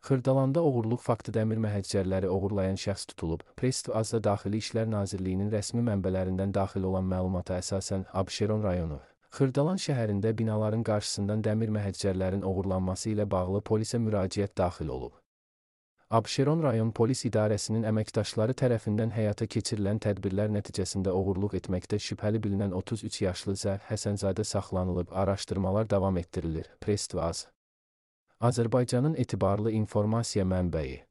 Xırdalanda oğurluq faktı dəmir məhəccərləri oğurlayan şəxs tutulub. Press TV-da Daxili İşlər Nazirliyinin rəsmi mənbələrindən daxil olan məlumata əsasən Abşeron rayonu Xırdalan şəhərində binaların qarşısından dəmir məhəccərlərin oğurlanması ilə bağlı polisə müraciət daxil olub. Abşeron rayon polis idarəsinin əməkdaşları tərəfindən həyata keçirilən tədbirlər nəticəsində oğurluq etməkdə şübhəli bilinən 33 yaşlı Zər Həsənzadə saxlanılıb, araşdırmalar davam etdirilir. Press TV Azərbaycanın etibarlı informasiya mənbəyi.